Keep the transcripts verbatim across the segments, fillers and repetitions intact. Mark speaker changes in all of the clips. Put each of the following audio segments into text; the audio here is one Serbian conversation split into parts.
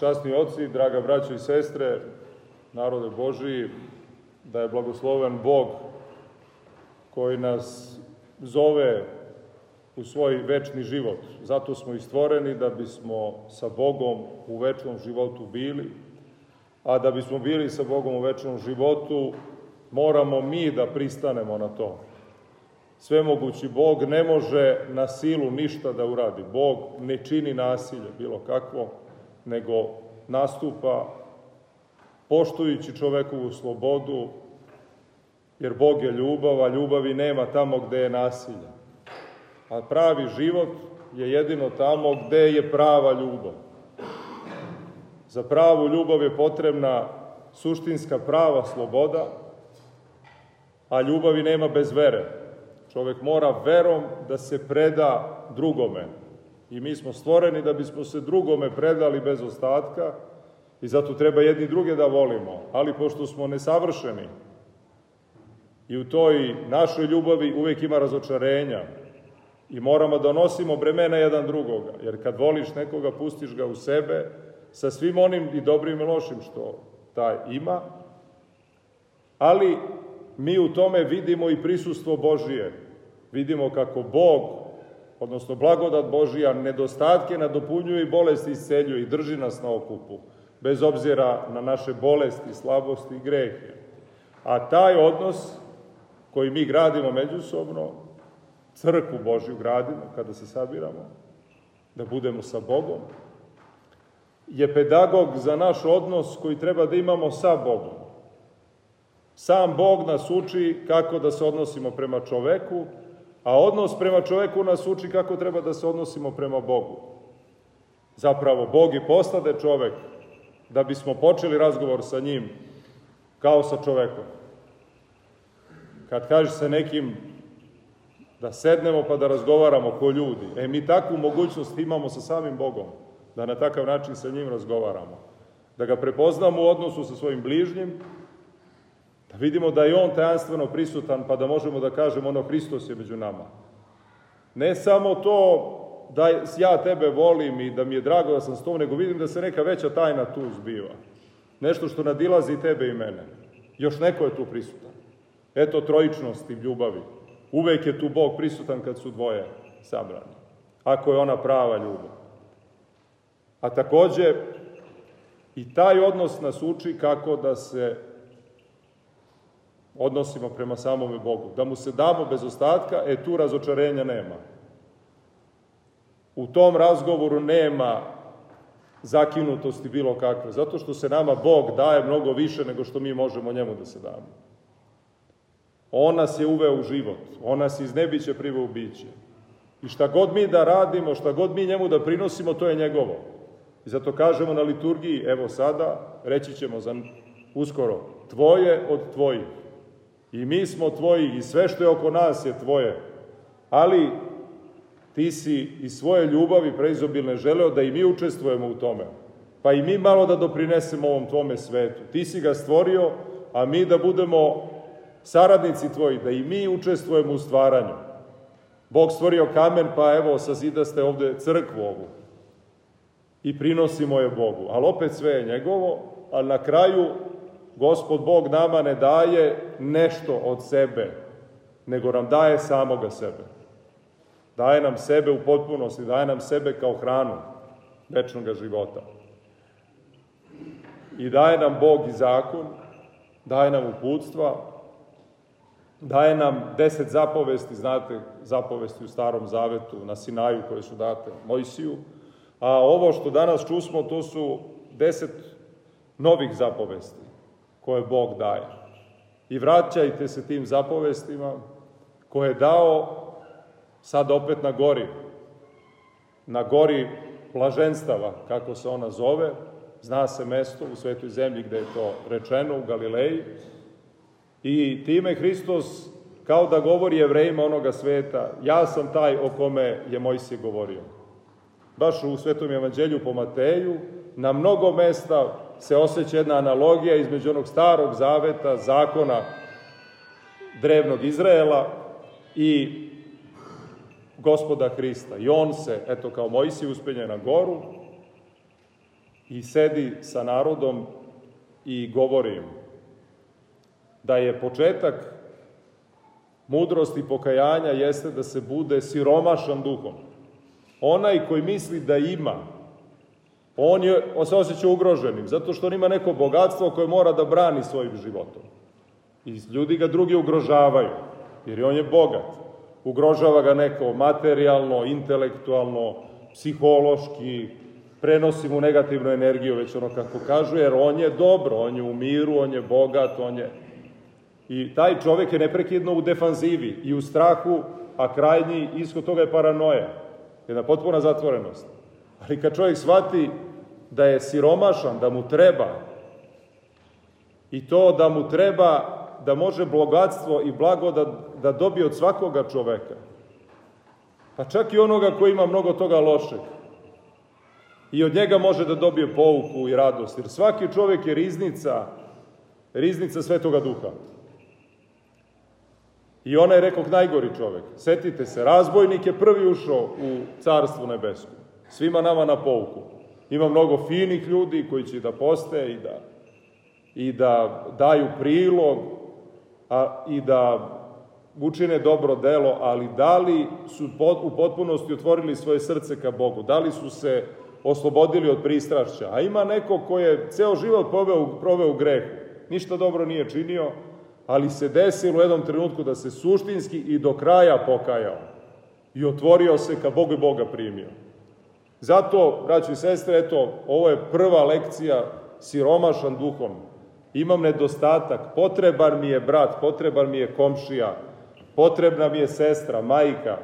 Speaker 1: Časni oci, draga braćo i sestre, narode Božiji, da je blagosloven Bog koji nas zove u svoj večni život. Zato smo i stvoreni da bismo sa Bogom u večnom životu bili, a da bismo bili sa Bogom u večnom životu, moramo mi da pristanemo na to. Svemogući Bog ne može na silu ništa da uradi. Bog ne čini nasilje, bilo kakvo, nego nastupa poštujući čovekovu slobodu, jer Bog je ljubav, a ljubavi nema tamo gde je nasilje. A pravi život je jedino tamo gde je prava ljubav. Za pravu ljubav je potrebna suštinska prava sloboda, a ljubavi nema bez vere. Čovek mora verom da se preda drugome. I mi smo stvoreni da bismo se drugome predali bez ostatka i zato treba jedni druge da volimo. Ali pošto smo nesavršeni i u toj našoj ljubavi uvek ima razočarenja i moramo da nosimo bremena jedan drugoga, jer kad voliš nekoga, pustiš ga u sebe sa svim onim i dobrim i lošim što taj ima, ali mi u tome vidimo i prisustvo Božije. Vidimo kako Bog, odnosno blagodat Božija, nedostatke nadopunjuje i bolesti isceljuje i drži nas na okupu, bez obzira na naše bolesti, slabosti i grehe. A taj odnos koji mi gradimo međusobno, crkvu Božju gradimo kada se sabiramo, da budemo sa Bogom, je pedagog za naš odnos koji treba da imamo sa Bogom. Sam Bog nas uči kako da se odnosimo prema čoveku, a odnos prema čoveku nas uči kako treba da se odnosimo prema Bogu. Zapravo, Bog i postade čovek da bismo počeli razgovor sa njim kao sa čovekom. Kad kaže se nekim da sednemo pa da razgovaramo ko ljudi, e mi takvu mogućnost imamo sa samim Bogom, da na takav način sa njim razgovaramo. Da ga prepoznamo u odnosu sa svojim bližnjim, da vidimo da je on tajanstveno prisutan, pa da možemo da kažemo ono Hristos je među nama. Ne samo to da ja tebe volim i da mi je drago da sam s tom, nego vidim da se neka veća tajna tu zbiva. Nešto što nadilazi i tebe i mene. Još neko je tu prisutan. Eto trojičnosti ljubavi. Uvek je tu Bog prisutan kad su dvoje sabrani. Ako je ona prava ljubav. A takođe, i taj odnos nas uči kako da se odnosimo prema samome Bogu. Da mu se damo bez ostatka, e tu razočarenja nema. U tom razgovoru nema zakinutosti bilo kakve, zato što se nama Bog daje mnogo više nego što mi možemo njemu da se damo. On nas je uveo u život, on nas iz nebića priveo u biće. I šta god mi da radimo, šta god mi njemu da prinosimo, to je njegovo. I zato kažemo na liturgiji, evo sada, reći ćemo za uskoro, tvoje od tvojih. I mi smo tvoji i sve što je oko nas je tvoje. Ali ti si iz svoje ljubavi preizobilne želeo da i mi učestvujemo u tome. Pa i mi malo da doprinesemo ovom tvome svetu. Ti si ga stvorio, a mi da budemo saradnici tvoji, da i mi učestvujemo u stvaranju. Bog stvorio kamen, pa evo sazidaste ovde crkvu ovu. I prinosimo je Bogu. Ali opet sve je njegovo, ali na kraju Gospod Bog nama ne daje nešto od sebe, nego nam daje samoga sebe. Daje nam sebe u potpunosti, daje nam sebe kao hranu večnog života. I daje nam Bog i zakon, daje nam uputstva, daje nam deset zapovesti, znate, zapovesti u Starom Zavetu na Sinaju koje su date Mojsiju, a ovo što danas čusmo, to su deset novih zapovesti koje Bog daje. I vraćajte se tim zapovestima koje je dao sad opet na gori, na gori blaženstava, kako se ona zove, zna se mesto u svetoj zemlji gde je to rečeno, u Galileji, i time Hristos kao da govori Jevrejima onoga sveta, ja sam taj o kome je Mojsije govorio. Baš u Svetom evanđelju po Mateju, na mnogo mesta se osjeća jedna analogija između onog starog zaveta, zakona drevnog Izraela i Gospoda Hrista. I on se, eto kao Mojsije, uspenje na goru i sedi sa narodom i govori im da je početak mudrosti pokajanja jeste da se bude siromašan duhom. Onaj koji misli da ima, on je, on se osjeća ugroženim, zato što on ima neko bogatstvo koje mora da brani svojim životom. I ljudi ga drugi ugrožavaju, jer on je bogat. Ugrožava ga neko materijalno, intelektualno, psihološki, prenosi mu negativnu energiju, već ono kako kažu, jer on je dobro, on je u miru, on je bogat, on je... I taj čovjek je neprekidno u defanzivi i u strahu, a krajnji ishod toga je paranoja, jedna potpuna zatvorenost. Ali kad čovjek shvati da je siromašan, da mu treba, i to da mu treba, da može bogatstvo i blago da, da dobije od svakoga čoveka, pa čak i onoga koji ima mnogo toga lošeg, i od njega može da dobije pouku i radost, jer svaki čovjek je riznica, riznica Svetoga Duha. I ona je, rekoh, najgori čovjek. Setite se, razbojnik je prvi ušao u Carstvo nebesko. Svima nama na pouku. Ima mnogo finih ljudi koji će da poste i da, i da daju prilog a, i da učine dobro delo, ali da li su u potpunosti otvorili svoje srce ka Bogu? Da li su se oslobodili od pristrašća? A ima neko ko je ceo život proveo, proveo u grehu. Ništa dobro nije činio, ali se desilo u jednom trenutku da se suštinski i do kraja pokajao i otvorio se ka Bogu i Boga primio. Zato, braćo i sestre, eto, ovo je prva lekcija, siromašan duhom. Imam nedostatak, potreban mi je brat, potreban mi je komšija, potrebna mi je sestra, majka,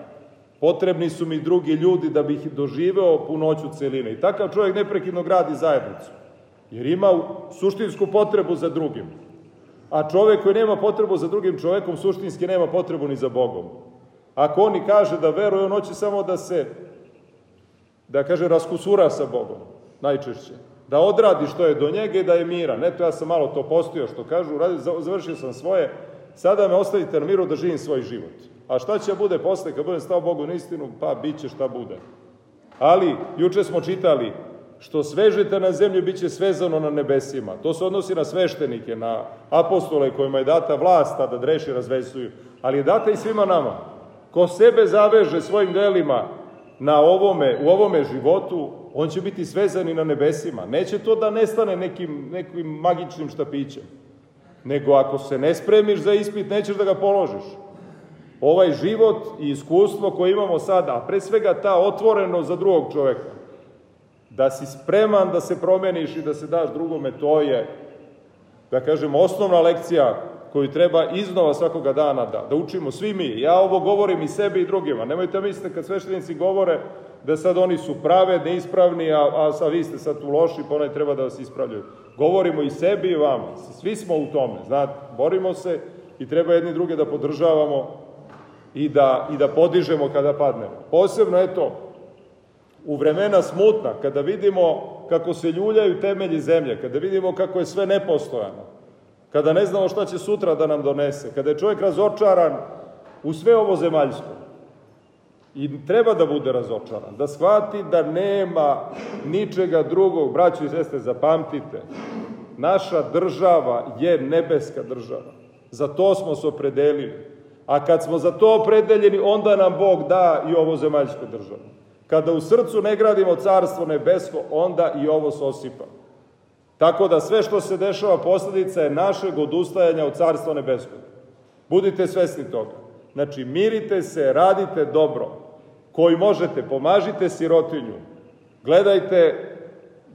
Speaker 1: potrebni su mi drugi ljudi da bih doživeo punoću celine. I takav čovjek neprekidno gradi zajednicu, jer ima suštinsku potrebu za drugim. A čovjek koji nema potrebu za drugim čovjekom, suštinski nema potrebu ni za Bogom. Ako on i kaže da veruje, on hoće samo da se, da kaže, raskusura sa Bogom, najčešće. Da odradi što je do njega i da je miran. Eto, ja sam malo to postio, što kažu, završio sam svoje, sada me ostavite na miru da živim svoj život. A šta će bude posle, kad budem stao Bogu na istinu, pa bit će šta bude. Ali, juče smo čitali, što svežete na zemlju, bit će svezano na nebesima. To se odnosi na sveštenike, na apostole kojima je data vlast da dreši razvezuju, ali je data i svima nama. Ko sebe zaveže svojim delima na ovome, u ovome životu, on će biti svezan i na nebesima. Neće to da nestane nekim, nekim magičnim štapićem, nego ako se ne spremiš za ispit, nećeš da ga položiš. Ovaj život i iskustvo koje imamo sada, a pre svega ta otvorenost za drugog čoveka, da si spreman da se promeniš i da se daš drugome, to je, da kažem, osnovna lekcija koju treba iznova svakoga dana da, da učimo svi mi. Ja ovo govorim i sebi i drugima. Nemojte misliti kad sveštenici govore da sad oni su pravedni, ispravni, a, a, a vi ste sad tu loši, pa onaj treba da vas ispravljaju. Govorimo i sebi i vama. Svi smo u tome, znate, borimo se i treba jedni druge da podržavamo i da, i da podižemo kada padnemo. Posebno, eto, u vremena smutna, kada vidimo kako se ljuljaju temelji zemlje, kada vidimo kako je sve nepostojano, kada ne znamo šta će sutra da nam donese, kada je čovjek razočaran u sve ovo zemaljsko. I treba da bude razočaran, da shvati da nema ničega drugog. Braćo i sestre, zapamtite, naša država je nebeska država. Za to smo se opredelili. A kad smo za to opredeljeni, onda nam Bog da i ovo zemaljsko državo. Kada u srcu ne gradimo carstvo nebesko, onda i ovo se osipa. Tako da sve što se dešava posljedica je našeg odustajanja od carstva nebeskog. Budite svesni toga. Znači, mirite se, radite dobro. Koji možete, pomažite sirotinju. Gledajte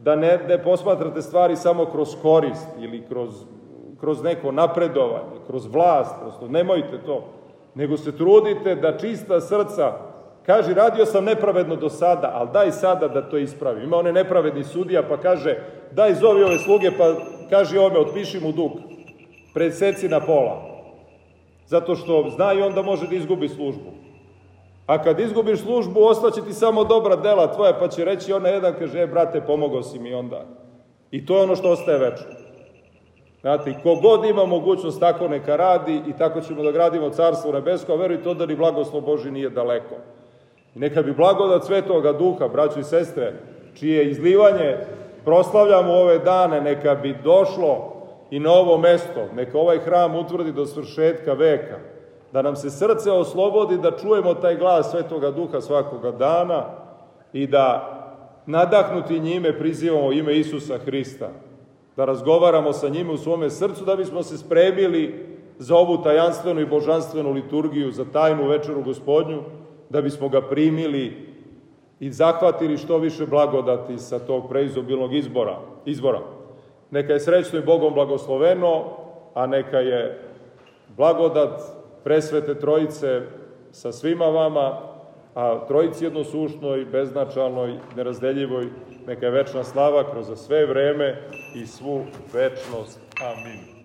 Speaker 1: da ne, ne posmatrate stvari samo kroz korist ili kroz, kroz neko napredovanje, kroz vlast. Prosto, nemojte to. Nego se trudite da čista srca, kaže, radio sam nepravedno do sada, ali daj sada da to ispravim. Ima one nepravedni sudija pa kaže, daj zovi ove sluge pa kaži ome, otpiši mu dug. Preseci na pola. Zato što zna i onda može da izgubi službu. A kad izgubiš službu, ostaće ti samo dobra dela tvoja, pa će reći ona jedan, kaže, e, brate, pomogao si mi onda. I to je ono što ostaje večno. Znate, kogod ima mogućnost, tako neka radi i tako ćemo da gradimo carstvo nebesko, a verujte to da ni blagoslov Božji nije daleko. I neka bi blagodat Svetoga Duha, braćo i sestre, čije izlivanje proslavljamo ove dane, neka bi došlo i na ovo mesto, neka ovaj hram utvrdi do svršetka veka, da nam se srce oslobodi, da čujemo taj glas Svetoga Duha svakoga dana i da nadahnuti njime prizivamo ime Isusa Hrista, da razgovaramo sa njime u svome srcu, da bismo se spremili za ovu tajanstvenu i božanstvenu liturgiju, za tajnu večeru Gospodnju, da bismo ga primili i zahvatili što više blagodati sa tog preizobilnog izbora, izbora. Neka je srećno i Bogom blagosloveno, a neka je blagodat presvete Trojice sa svima vama, a Trojici jednosušnoj, beznačalnoj, nerazdeljivoj, neka je večna slava kroz sve vreme i svu večnost. Amin.